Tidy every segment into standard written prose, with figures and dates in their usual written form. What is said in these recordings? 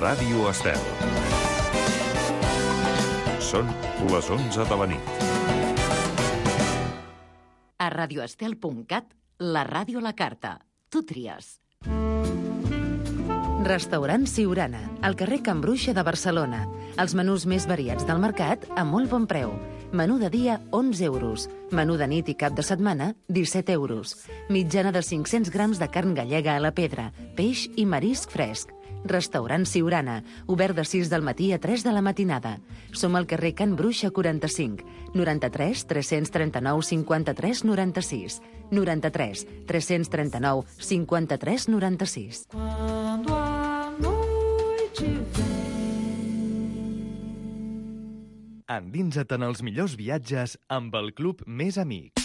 Ràdio Estel. Són les 11 de la nit. A radioestel.cat, la ràdio a la carta. Tu tries. Restaurant Siurana, al carrer Can Bruixa de Barcelona. Els menús més variats del mercat a molt bon preu. Menú de dia, 11 euros. Menú de nit i cap de setmana, 17 euros. Mitjana de 500 grams de carn gallega a la pedra, peix i marisc fresc. Restaurant Siurana, obert de 6 del matí a 3 de la matinada. Som al carrer Can Bruixa 45, 93 339 53 96, 93 339 53 96. Quando a noite Endinsa't en els millors viatges amb el Club Més Amics.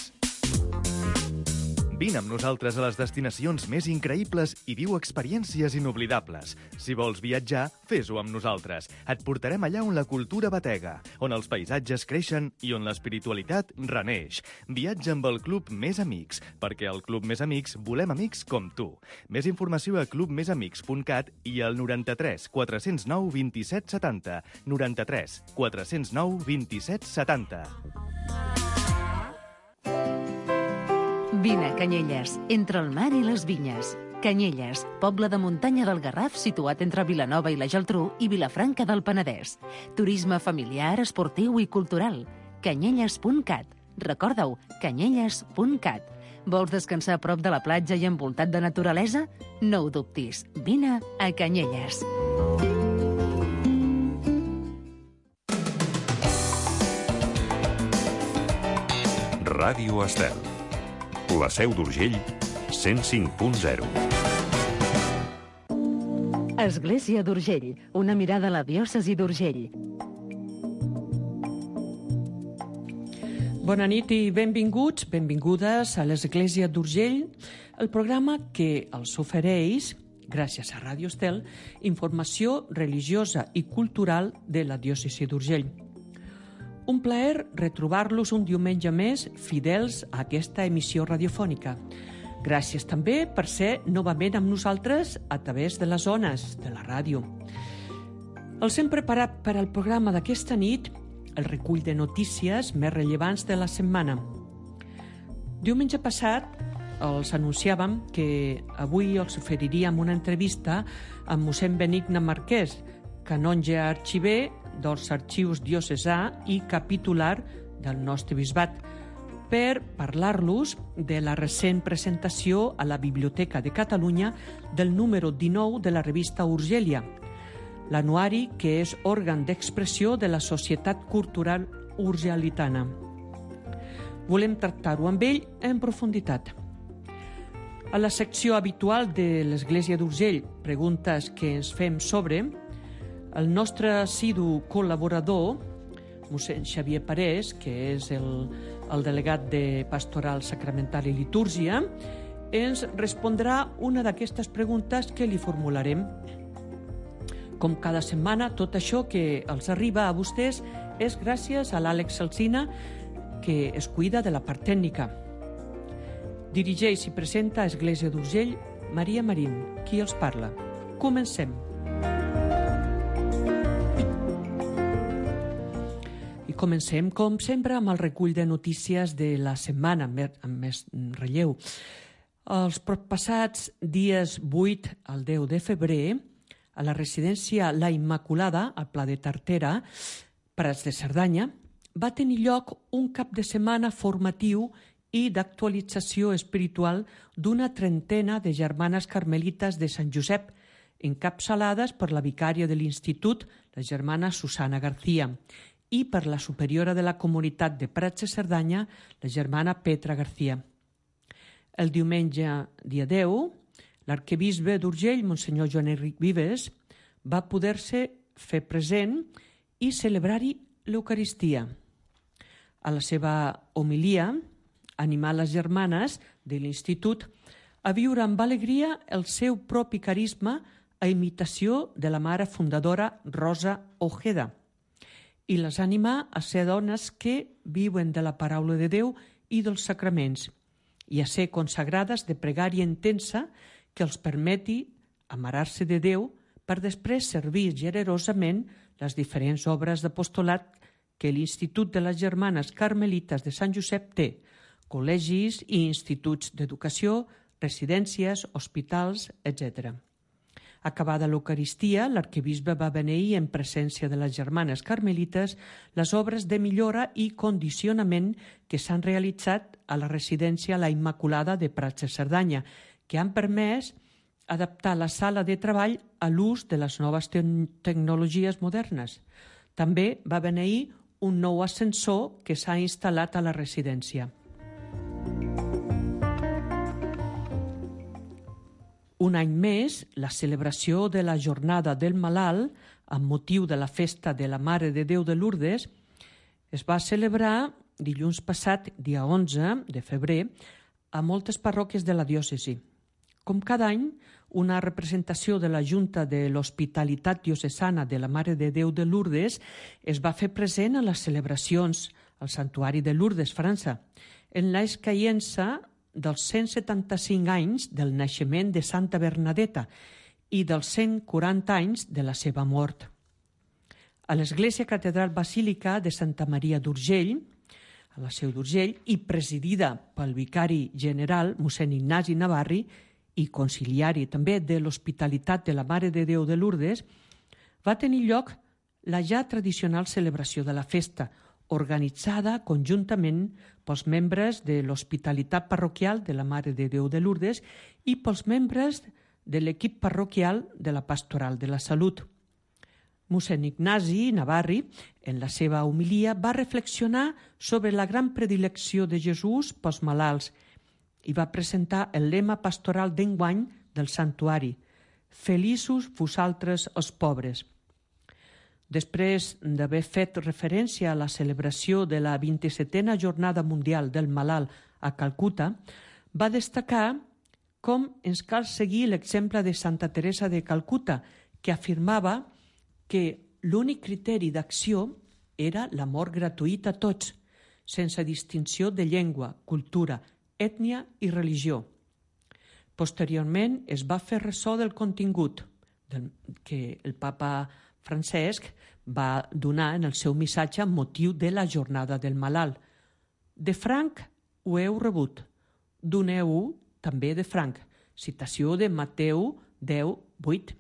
Vine amb nosaltres a les destinacions més increïbles i viu experiències inoblidables. Si vols viatjar, fes-ho amb nosaltres. Et portarem allà on la cultura batega, on els paisatges creixen i on l'espiritualitat reneix. Viatja amb el Club Més Amics, perquè al Club Més Amics volem amics com tu. Més informació a clubmesamics.cat i al 93 409 27 70. 93 409 27 70. Vine a Canyelles, entre el mar i les vinyes. Canyelles, poble de muntanya del Garraf situat entre Vilanova i la Geltrú i Vilafranca del Penedès. Turisme familiar, esportiu i cultural. Canyelles.cat. Recorda-ho, canyelles.cat. Vols descansar a prop de la platja i envoltat de naturalesa? No ho dubtis. Vine a Canyelles. Ràdio Estel. La Seu d'Urgell, 105.0. Església d'Urgell, una mirada a la diòcesi d'Urgell. Bona nit i benvinguts, benvingudes a l'Església d'Urgell, el programa que els ofereix, gràcies a Ràdio Estel, informació religiosa i cultural de la diòcesi d'Urgell. Un plaer retrobar-los un diumenge més fidels a aquesta emissió radiofònica. Gràcies també per ser novament amb nosaltres a través de les ones de la ràdio. Els hem preparat per al programa d'aquesta nit el recull de notícies més rellevants de la setmana. Diumenge passat els anunciàvem que avui els oferiríem una entrevista amb mossèn Benigna Marquès, canonge arxiver dels arxius diocesà i capitular del nostre bisbat, per parlar-los de la recent presentació a la Biblioteca de Catalunya del número 19 de la revista Urgèlia, l'anuari que és òrgan d'expressió de la Societat Cultural Urgelitana. Volem tractar-ho amb ell en profunditat. A la secció habitual de l'Església d'Urgell, preguntes que ens fem sobre, el nostre assidu col·laborador, mossèn Xavier Parés, que és el delegat de Pastoral Sacramental i Litúrgia, ens respondrà una d'aquestes preguntes que li formularem. Com cada setmana, tot això que els arriba a vostès és gràcies a l'Àlex Alsina, que es cuida de la part tècnica. Dirigeix i presenta a Església d'Urgell Maria Marín, qui els parla. Comencem. Comencem, com sempre, amb el recull de notícies de la setmana, amb més relleu. Els passats dies 8 al 10 de febrer, a la residència La Immaculada, al Pla de Tartera, Prats de Cerdanya, va tenir lloc un cap de setmana formatiu i d'actualització espiritual d'una trentena de germanes carmelites de Sant Josep, encapçalades per la vicària de l'Institut, la germana Susana García, i per la superiora de la comunitat de Prats de Cerdanya, la germana Petra García. El diumenge, dia 10, l'arquebisbe d'Urgell, monsenyor Joan Enric Vives, va poder-se fer present i celebrar-hi l'Eucaristia. A la seva homilia, animar les germanes de l'Institut a viure amb alegria el seu propi carisma a imitació de la mare fundadora Rosa Ojeda, i les anima a ser dones que viuen de la paraula de Déu i dels sacraments, i a ser consagrades de pregària intensa que els permeti amarar-se de Déu per després servir generosament les diferents obres d'apostolat que l'Institut de les Germanes Carmelites de Sant Josep té, col·legis i instituts d'educació, residències, hospitals, etc. Acabada l'Eucaristia, l'arquebisbe va beneir en presència de les germanes carmelites les obres de millora i condicionament que s'han realitzat a la residència La Immaculada de Prats de Cerdanya, que han permès adaptar la sala de treball a l'ús de les noves tecnologies modernes. També va beneir un nou ascensor que s'ha instal·lat a la residència. Un any més, la celebració de la Jornada del Malalt, amb motiu de la festa de la Mare de Déu de Lourdes, es va celebrar dilluns passat, dia 11 de febrer, a moltes parròquies de la diòcesi. Com cada any, una representació de la Junta de l'Hospitalitat Diocesana de la Mare de Déu de Lourdes es va fer present a les celebracions al Santuari de Lourdes, França, en l'escaïença dels 175 anys del naixement de Santa Bernadeta i dels 140 anys de la seva mort. A l'Església Catedral Basílica de Santa Maria d'Urgell, a la Seu d'Urgell, i presidida pel vicari general, mossèn Ignasi Navarri, i conciliari també de l'Hospitalitat de la Mare de Déu de Lourdes, va tenir lloc la ja tradicional celebració de la festa, organitzada conjuntament pels membres de l'Hospitalitat Parroquial de la Mare de Déu de Lourdes i pels membres de l'equip parroquial de la Pastoral de la Salut. Mossèn Ignasi Navarri, en la seva homilia, va reflexionar sobre la gran predilecció de Jesús pels malalts i va presentar el lema pastoral d'enguany del santuari: Feliços vosaltres els pobres. Després d'haver fet referència a la celebració de la 27a Jornada Mundial del Malalt a Calcuta, va destacar com ens cal seguir l'exemple de Santa Teresa de Calcuta, que afirmava que l'únic criteri d'acció era l'amor gratuït a tots, sense distinció de llengua, cultura, ètnia i religió. Posteriorment es va fer ressò del contingut que el papa Francesc va donar en el seu missatge amb motiu de la Jornada del Malalt. De franc ho heu rebut, doneu-ho també de franc. Citació de Mateu 10:8.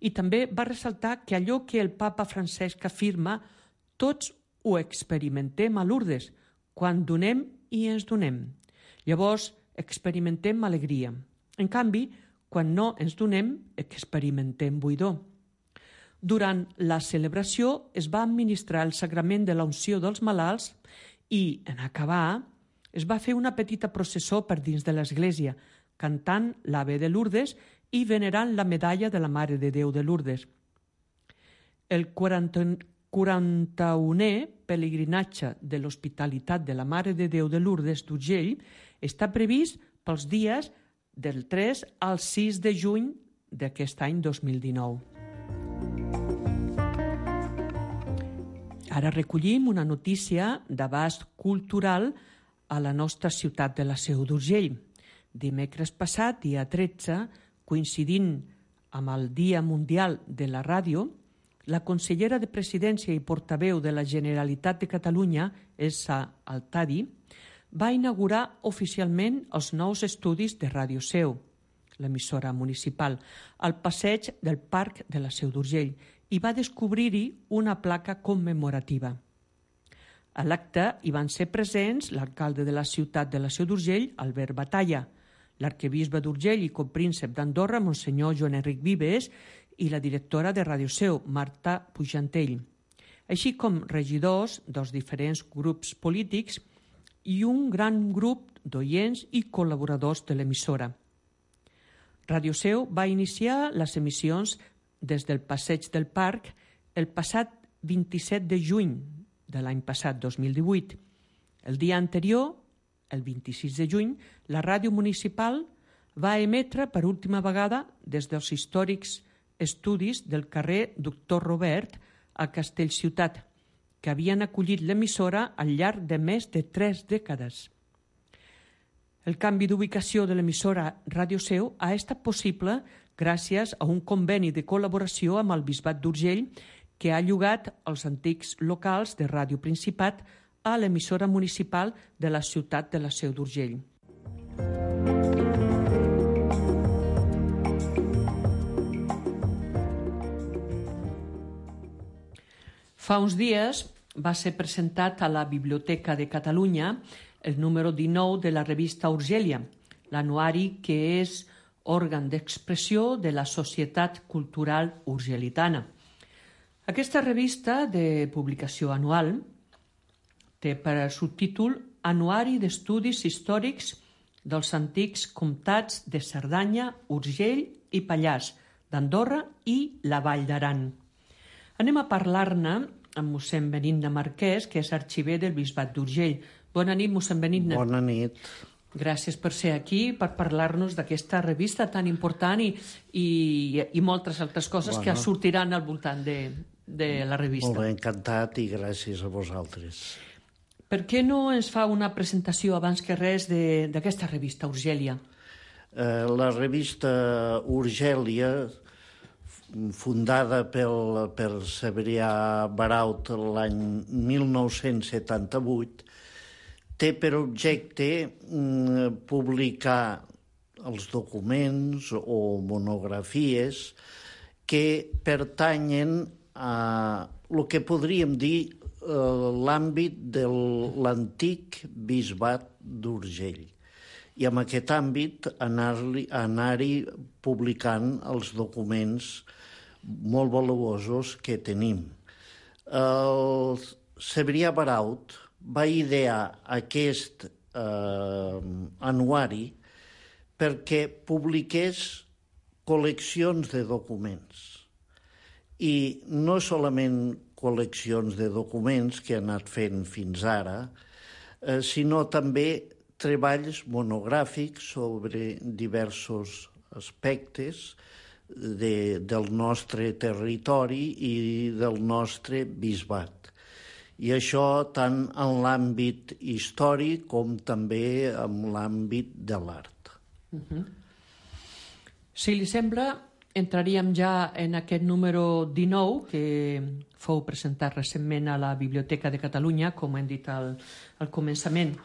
I també va ressaltar que allò que el papa Francesc afirma, tots ho experimentem a Lourdes, quan donem i ens donem. Llavors experimentem alegria. En canvi, quan no ens donem, experimentem buidor. Durant la celebració es va administrar el sagrament de la unció dels malalts i, en acabar, es va fer una petita processó per dins de l'església, cantant l'Ave de Lourdes i venerant la medalla de la Mare de Déu de Lourdes. El 41è pelegrinatge de l'Hospitalitat de la Mare de Déu de Lourdes d'Urgell està previst pels dies del 3 al 6 de juny d'aquest any 2019. Ara recollim una notícia d'abast cultural a la nostra ciutat de la Seu d'Urgell. Dimecres passat, dia 13, coincidint amb el Dia Mundial de la Ràdio, la consellera de Presidència i portaveu de la Generalitat de Catalunya, Elsa Altadi, va inaugurar oficialment els nous estudis de Ràdio Seu, l'emissora municipal, al passeig del Parc de la Seu d'Urgell, i va descobrir-hi una placa commemorativa. A l'acte hi van ser presents l'alcalde de la ciutat de la Seu d'Urgell, Albert Batalla, l'arquebisbe d'Urgell i copríncep d'Andorra, Monsenyor Joan Enric Vives, i la directora de Ràdio Seu, Marta Pujantell, així com regidors dels diferents grups polítics i un gran grup d'oients i col·laboradors de l'emissora. Ràdio Seu va iniciar les emissions des del passeig del Parc el passat 27 de juny de l'any passat, 2018. El dia anterior, el 26 de juny, la ràdio municipal va emetre per última vegada des dels històrics estudis del carrer Doctor Robert a Castellciutat, que havien acollit l'emissora al llarg de més de 3 dècades. El canvi d'ubicació de l'emissora Ràdio Seu ha estat possible gràcies a un conveni de col·laboració amb el Bisbat d'Urgell que ha llogat els antics locals de Ràdio Principat a l'emissora municipal de la ciutat de la Seu d'Urgell. Fa uns dies va ser presentat a la Biblioteca de Catalunya el número 19 de la revista Urgèlia, l'anuari que és òrgan d'expressió de la Societat Cultural Urgelitana. Aquesta revista de publicació anual té per subtítol Anuari d'Estudis Històrics dels Antics Comtats de Cerdanya, Urgell i Pallars, d'Andorra i la Vall d'Aran. Anem a parlar-ne amb mossèn Benigna Marquès, que és arxiver del Bisbat d'Urgell. Bona nit, mossèn Benigna. Bona nit. Gràcies per ser aquí, per parlar-nos d'aquesta revista tan important i moltes altres coses que sortiran al voltant de la revista. Molt bé, encantat i gràcies a vosaltres. Per què no ens fa una presentació abans que res d'aquesta revista, Urgèlia? La revista Urgèlia, fundada per Cebrià Baraut l'any 1978, té per objecte publicar els documents o monografies que pertanyen a el que podríem dir l'àmbit de l'antic bisbat d'Urgell. I en aquest àmbit anar-hi publicant els documents molt valuosos que tenim. El Cebrià Baraut va idear aquest anuari perquè publiqués col·leccions de documents. I no solament col·leccions de documents que ha anat fent fins ara, sinó també treballs monogràfics sobre diversos aspectes del nostre territori i del nostre bisbat. I això tant en l'àmbit històric com també en l'àmbit de l'art. Si li sembla, entraríem ja en aquest número 19 que fou presentat recentment a la Biblioteca de Catalunya, com hem dit al començament.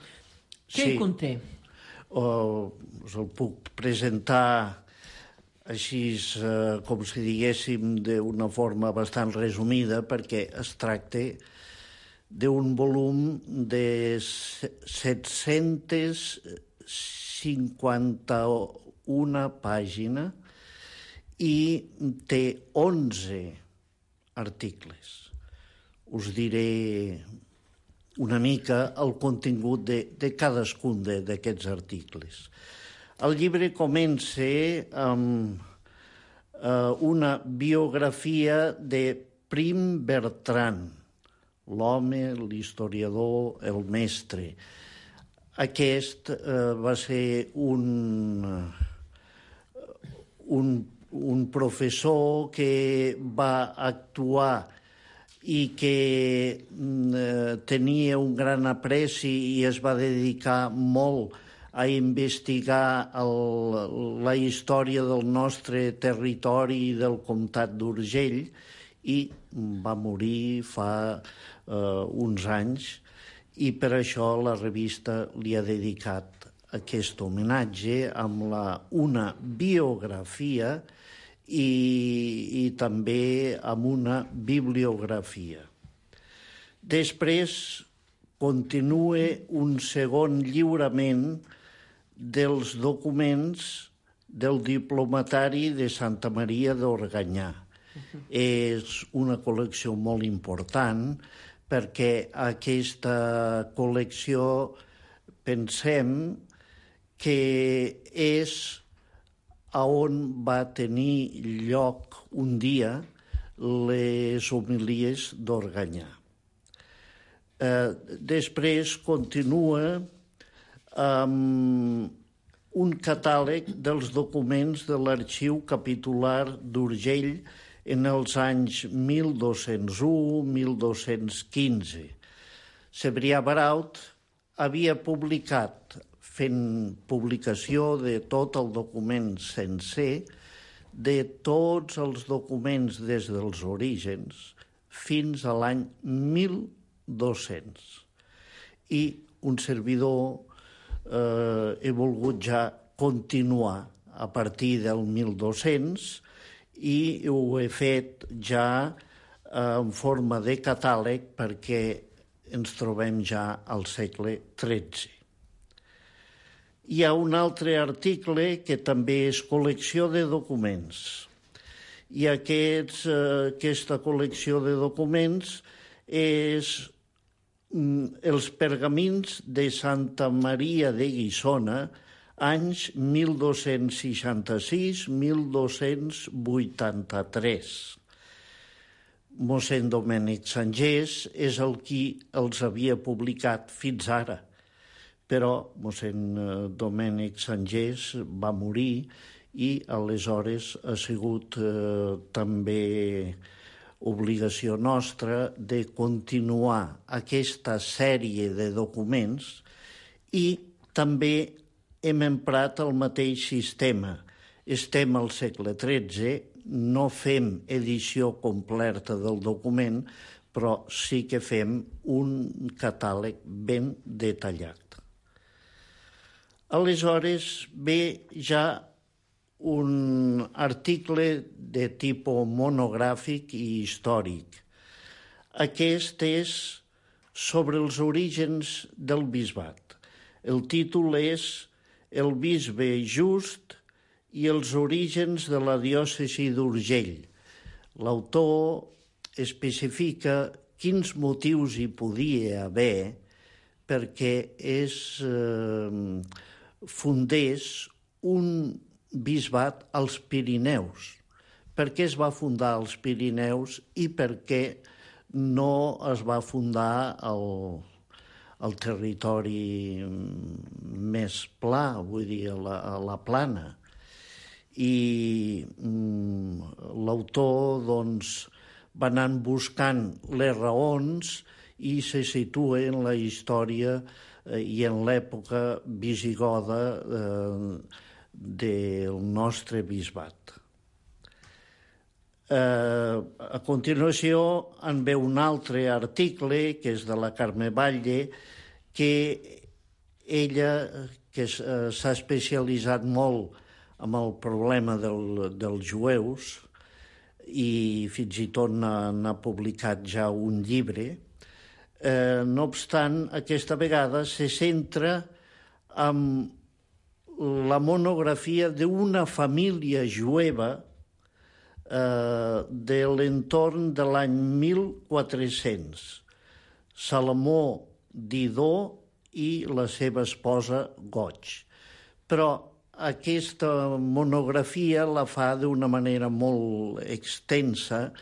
Què hi conté? Us el puc presentar així, com si diguéssim, d'una forma bastant resumida, perquè es tracta d'un volum de 751 pàgines i té 11 articles. Us diré una mica el contingut de cadascun d'aquests articles. El llibre comença amb una biografia de Prim Bertran, l'home, l'historiador, el mestre. Aquest va ser un professor que va actuar i que tenia un gran apreci i es va dedicar molt a investigar la història del nostre territori i del comtat d'Urgell i va morir fa uns anys i per això la revista li ha dedicat aquest homenatge amb una biografia i també amb una bibliografia. Després continua un segon lliurament dels documents del diplomatari de Santa Maria d'Organyà. És una col·lecció molt important perquè aquesta col·lecció pensem que és on va tenir lloc un dia les homilies d'Organyà. Després continua amb un catàleg dels documents de l'Arxiu Capitular d'Urgell en els anys 1201-1215. Cebrià Baraut havia publicat fent publicació de tot el document sencer, de tots els documents des dels orígens fins a l'any 1200. I un servidor he volgut ja continuar a partir del 1200 i ho he fet ja en forma de catàleg perquè ens trobem ja al segle XIII. Hi ha un altre article que també és col·lecció de documents. I aquesta col·lecció de documents és els pergamins de Santa Maria de Guissona, anys 1266-1283. Mossèn Domènec Sangés és el qui els havia publicat fins ara, però mossèn Domènec Sangés va morir i aleshores ha sigut també obligació nostra de continuar aquesta sèrie de documents i també hem emprat el mateix sistema. Estem al segle XIII, no fem edició completa del document, però sí que fem un catàleg ben detallat. Aleshores ve ja un article de tipus monogràfic i històric. Aquest és sobre els orígens del bisbat. El títol és El bisbe just i els orígens de la diòcesi d'Urgell. L'autor especifica quins motius hi podia haver perquè fundés un bisbat als Pirineus. Per què es va fundar als Pirineus i per què no es va fundar al territori més pla, vull dir, a la plana. I l'autor va anant buscant les raons i se situa en la història i en l'època visigoda del nostre bisbat. A continuació en ve un altre article, que és de la Carme Batlle, que ella que s'ha especialitzat molt en el problema dels jueus i fins i tot n'ha publicat ja un llibre. No obstant, aquesta vegada se centra en la monografia d'una família jueva de l'entorn de l'any 1400, Salomó Didó i la seva esposa Goig. Però aquesta monografia la fa d'una manera molt extensa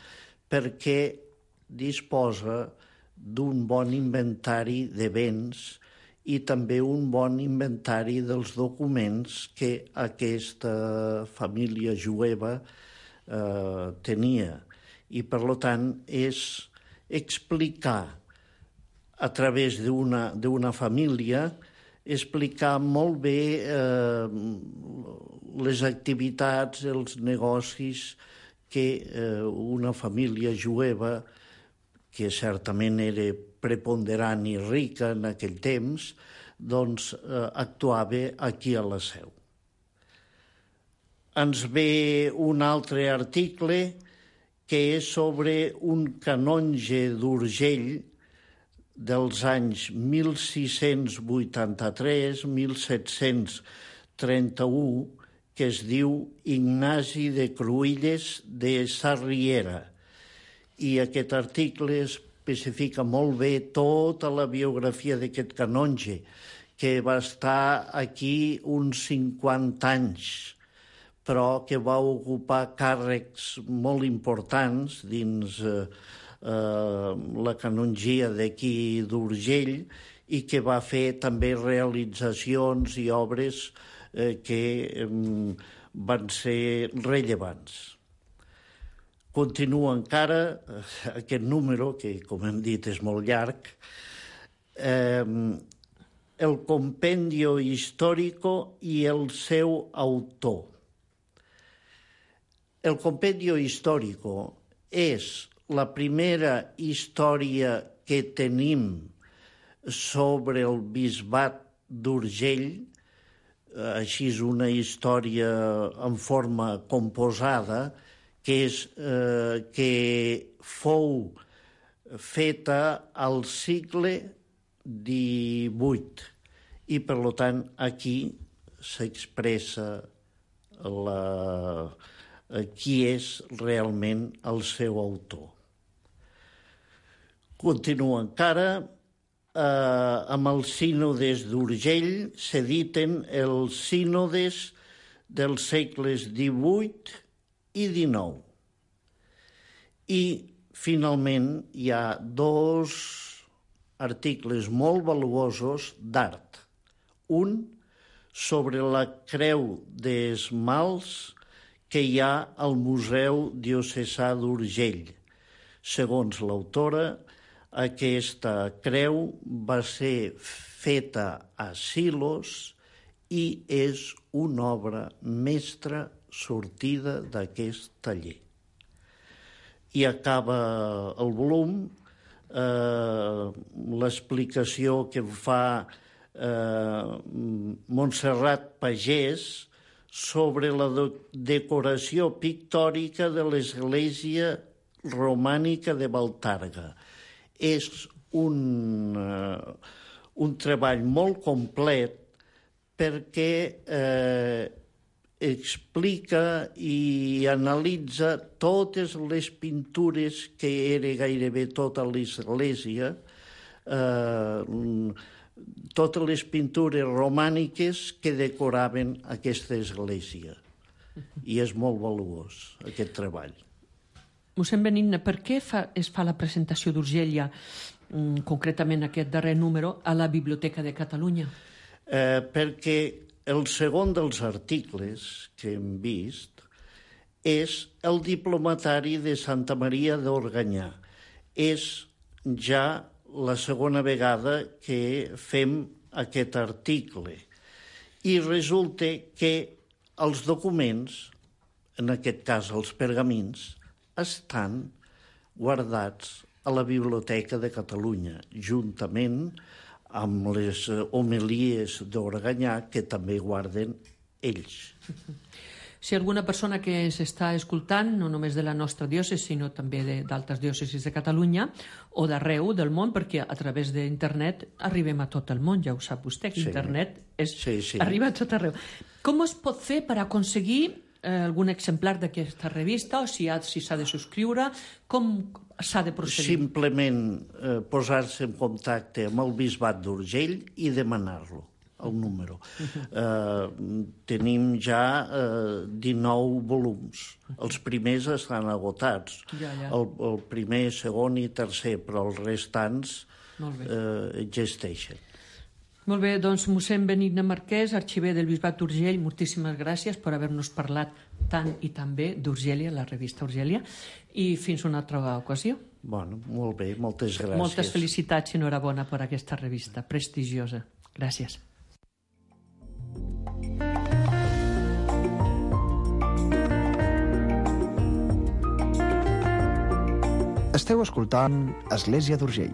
perquè disposa d'un bon inventari de béns i també un bon inventari dels documents que aquesta família jueva tenia. I, per tant, és explicar a través d'una família, explicar molt bé les activitats, els negocis que una família jueva, que certament era preponderant i rica en aquell temps, doncs actuava aquí a la Seu. Ens ve un altre article que és sobre un canonge d'Urgell dels anys 1683-1731 que es diu Ignasi de Cruïlles de Sarriera. I aquest article especifica molt bé tota la biografia d'aquest canonge, que va estar aquí uns 50 anys, però que va ocupar càrrecs molt importants dins la canongia d'aquí d'Urgell i que va fer també realitzacions i obres que van ser rellevants. Continua encara aquest número, que com hem dit és molt llarg, el Compendio Histórico i el seu autor. El Compendio Histórico és la primera història que tenim sobre el bisbat d'Urgell, així és una història en forma composada, que fou feta al segle XVIII i, per tant, aquí s'expressa qui és realment el seu autor. Continua encara. Amb els sínodes d'Urgell s'editen els sínodes dels segles XVIII i XIX. I, finalment, hi ha 2 articles molt valuosos d'art. Un sobre la creu d'esmalts que hi ha al Museu Diocesà d'Urgell. Segons l'autora, aquesta creu va ser feta a Silos i és una obra mestra sortida d'aquest taller. I acaba el volum l'explicació que fa Montserrat Pagès sobre la decoració pictòrica de l'església romànica de Baltarga. És un treball molt complet perquè explica i analitza totes les pintures que era gairebé tota l'església, totes les pintures romàniques que decoraven aquesta església. I és molt valuós, aquest treball. Mossèn Benigna, per què es fa la presentació d'Urgell, concretament aquest darrer número, a la Biblioteca de Catalunya? Perquè el segon dels articles que hem vist és el diplomatari de Santa Maria d'Organyà. És ja la segona vegada que fem aquest article. I resulta que els documents, en aquest cas els pergamins, estan guardats a la Biblioteca de Catalunya, juntament amb les homilies d'Organyà, que també guarden ells. Si alguna persona que ens està escoltant, no només de la nostra diòcesi, sinó també d'altres diòcesis de Catalunya o d'arreu del món, perquè a través d'internet arribem a tot el món, ja ho sap vostè, que internet arriba a tot arreu. Com es pot fer per aconseguir algun exemplar d'aquesta revista, o si s'ha de subscriure, com s'ha de procedir? Simplement posar-se en contacte amb el Bisbat d'Urgell i demanar-lo, el número. Tenim ja 19 volums. Els primers estan agotats. El primer, segon i tercer, però els restants existeixen. Molt bé, doncs mossèn Benigna Marquès, arxiver del Bisbat d'Urgell, moltíssimes gràcies per haver-nos parlat tant i tan bé d'Urgèlia, la revista Urgèlia, i fins una altra ocasió. Bueno, molt bé, moltes gràcies. Moltes felicitats i enhorabona per aquesta revista prestigiosa. Gràcies. Esteu escoltant Església d'Urgell.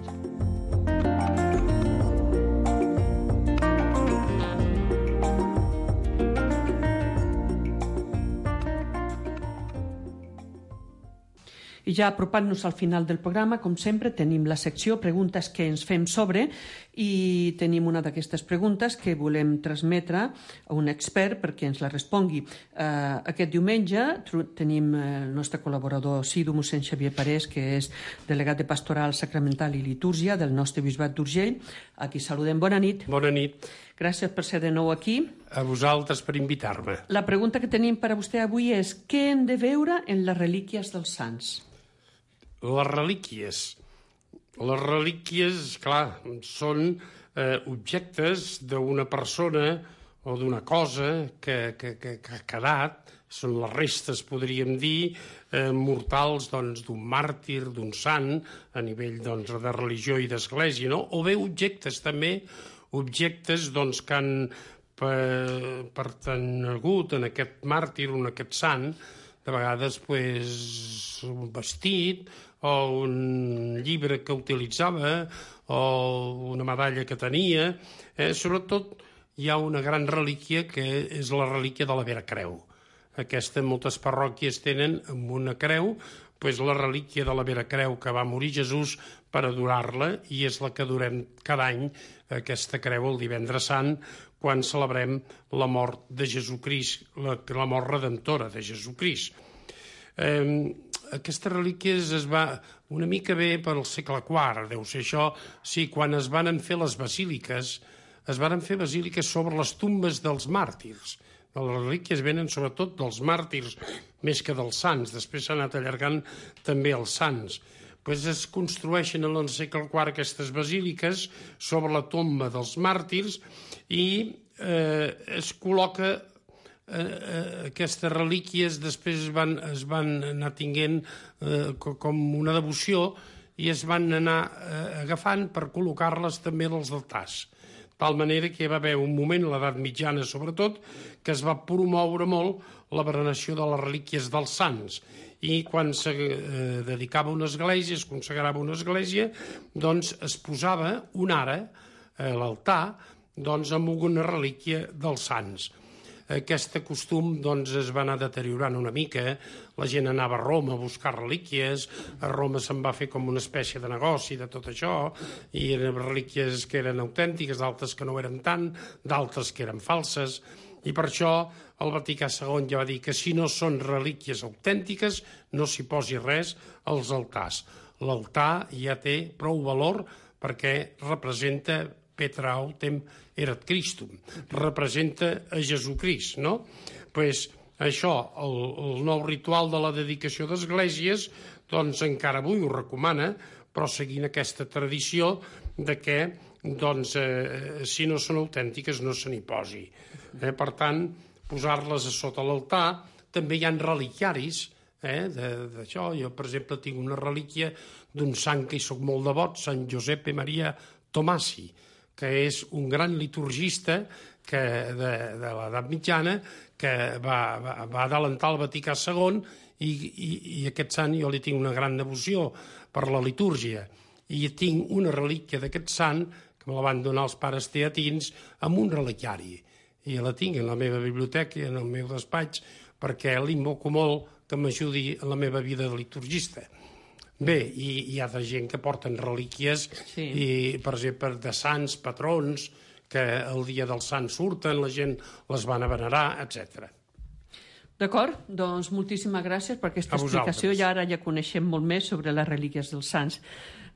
I ja apropant-nos al final del programa, com sempre, tenim la secció Preguntes que ens fem sobre, i tenim una d'aquestes preguntes que volem transmetre a un expert perquè ens la respongui. Aquest diumenge tenim el nostre col·laborador assidu, mossèn Xavier Parés, que és delegat de Pastoral Sacramental i Litúrgia del nostre Bisbat d'Urgell. Aquí saludem. Bona nit. Bona nit. Gràcies per ser de nou aquí. A vosaltres per invitar-me. La pregunta que tenim per a vostè avui és: què hem de veure en les relíquies dels sants? Les relíquies. Les relíquies, clar, són objectes d'una persona o d'una cosa que ha quedat, són les restes, podríem dir, mortals d'un màrtir, d'un sant, a nivell de religió i d'església, no? O bé objectes també objectes doncs, que han pertangut en aquest màrtir, en aquest sant, de vegades un vestit o un llibre que utilitzava o una medalla que tenia. Sobretot hi ha una gran relíquia que és la relíquia de la Vera Creu. Aquesta moltes parròquies tenen amb una creu, la relíquia de la Vera Creu que va morir Jesús per adorar-la, i és la que adorem cada any, aquesta creu, el divendres sant, quan celebrem la mort de Jesucrist, la mort redemptora de Jesucrist. Aquestes relíquies es va una mica bé per al segle IV, deu ser això, sí, quan es van fer les basíliques, es van fer basíliques sobre les tombes dels màrtirs. Les relíquies venen sobretot dels màrtirs més que dels sants, després s'ha anat allargant també els sants. Es construeixen en el segle IV aquestes basíliques sobre la tomba dels màrtirs i es col·loca aquestes relíquies, després es van anar tinguent com una devoció i es van anar agafant per col·locar-les també als altars. De tal manera que hi va haver un moment, a l'edat mitjana sobretot, que es va promoure molt la veneració de les relíquies dels sants. I quan se dedicava una església, es consagrava una església, doncs es posava un ara a l'altar amb una relíquia dels sants. Aquest costum es va anar deteriorant una mica, la gent anava a Roma a buscar relíquies, a Roma se'n va fer com una espècie de negoci de tot això, i eren relíquies que eren autèntiques, d'altres que no ho eren tant, d'altres que eren falses, i per això el Vaticà II ja va dir que si no són relíquies autèntiques no s'hi posi res als altars. L'altar ja té prou valor perquè representa Petra autem erat Christum, representa a Jesucrist, no? Això, el nou ritual de la dedicació d'esglésies, encara avui ho recomana, però seguint aquesta tradició de que, si no són autèntiques no se n'hi posi. Per tant, posar-les a sota l'altar. També hi ha reliquiaris d'això. Jo, per exemple, tinc una relíquia d'un sant que hi soc molt devot, Sant Giuseppe Maria Tomasi, que és un gran liturgista de l'edat mitjana que va adelantar el Vaticà II i aquest sant jo li tinc una gran devoció per la litúrgia. I tinc una relíquia d'aquest sant que me la van donar els pares teatins amb un reliquiari. I la tinc en la meva biblioteca i en el meu despatx perquè l'invoco molt que m'ajudi en la meva vida de liturgista. Bé, hi ha gent que porten relíquies, i, per exemple, de sants, patrons, que el dia del sant surten, la gent les van a venerar, etc. D'acord, doncs moltíssimes gràcies per aquesta explicació i ara ja coneixem molt més sobre les relíquies dels sants.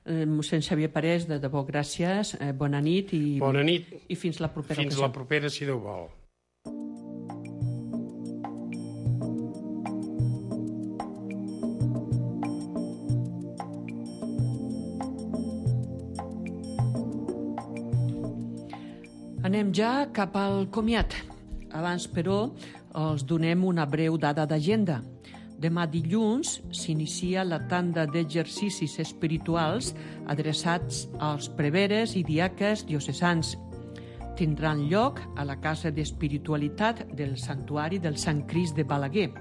Mossèn Xavier Parés, de debò, gràcies, bona nit i fins la propera ocasió. Fins la propera, si Déu vol. Anem ja cap al comiat. Abans, però, els donem una breu dada d'agenda. Demà dilluns s'inicia la tanda d'exercicis espirituals adreçats als preveres i diaques diocesans. Tindran lloc a la Casa d'Espiritualitat del Santuari del Sant Crist de Balaguer.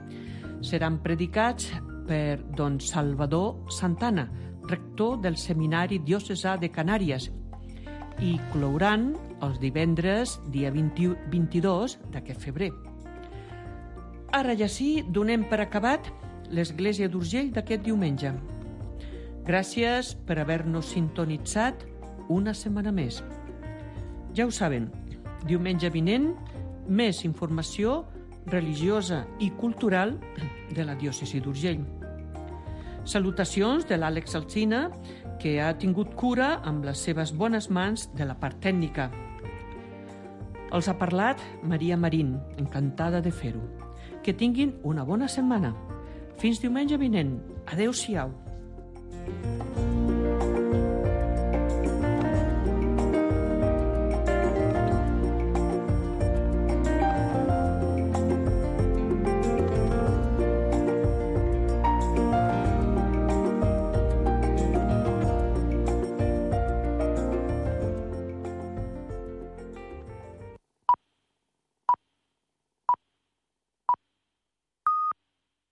Seran predicats per don Salvador Santana, rector del Seminari Diocesà de Canàries, i clouran els divendres, dia 22 d'aquest febrer. Ara ja sí, donem per acabat l'Església d'Urgell d'aquest diumenge. Gràcies per haver-nos sintonitzat una setmana més. Ja ho saben, diumenge vinent, més informació religiosa i cultural de la diòcesi d'Urgell. Salutacions de l'Àlex Alsina, que ha tingut cura amb les seves bones mans de la part tècnica. Els ha parlat Maria Marín, encantada de fer-ho. Que tinguin una bona setmana. Fins diumenge vinent. Adéu-siau.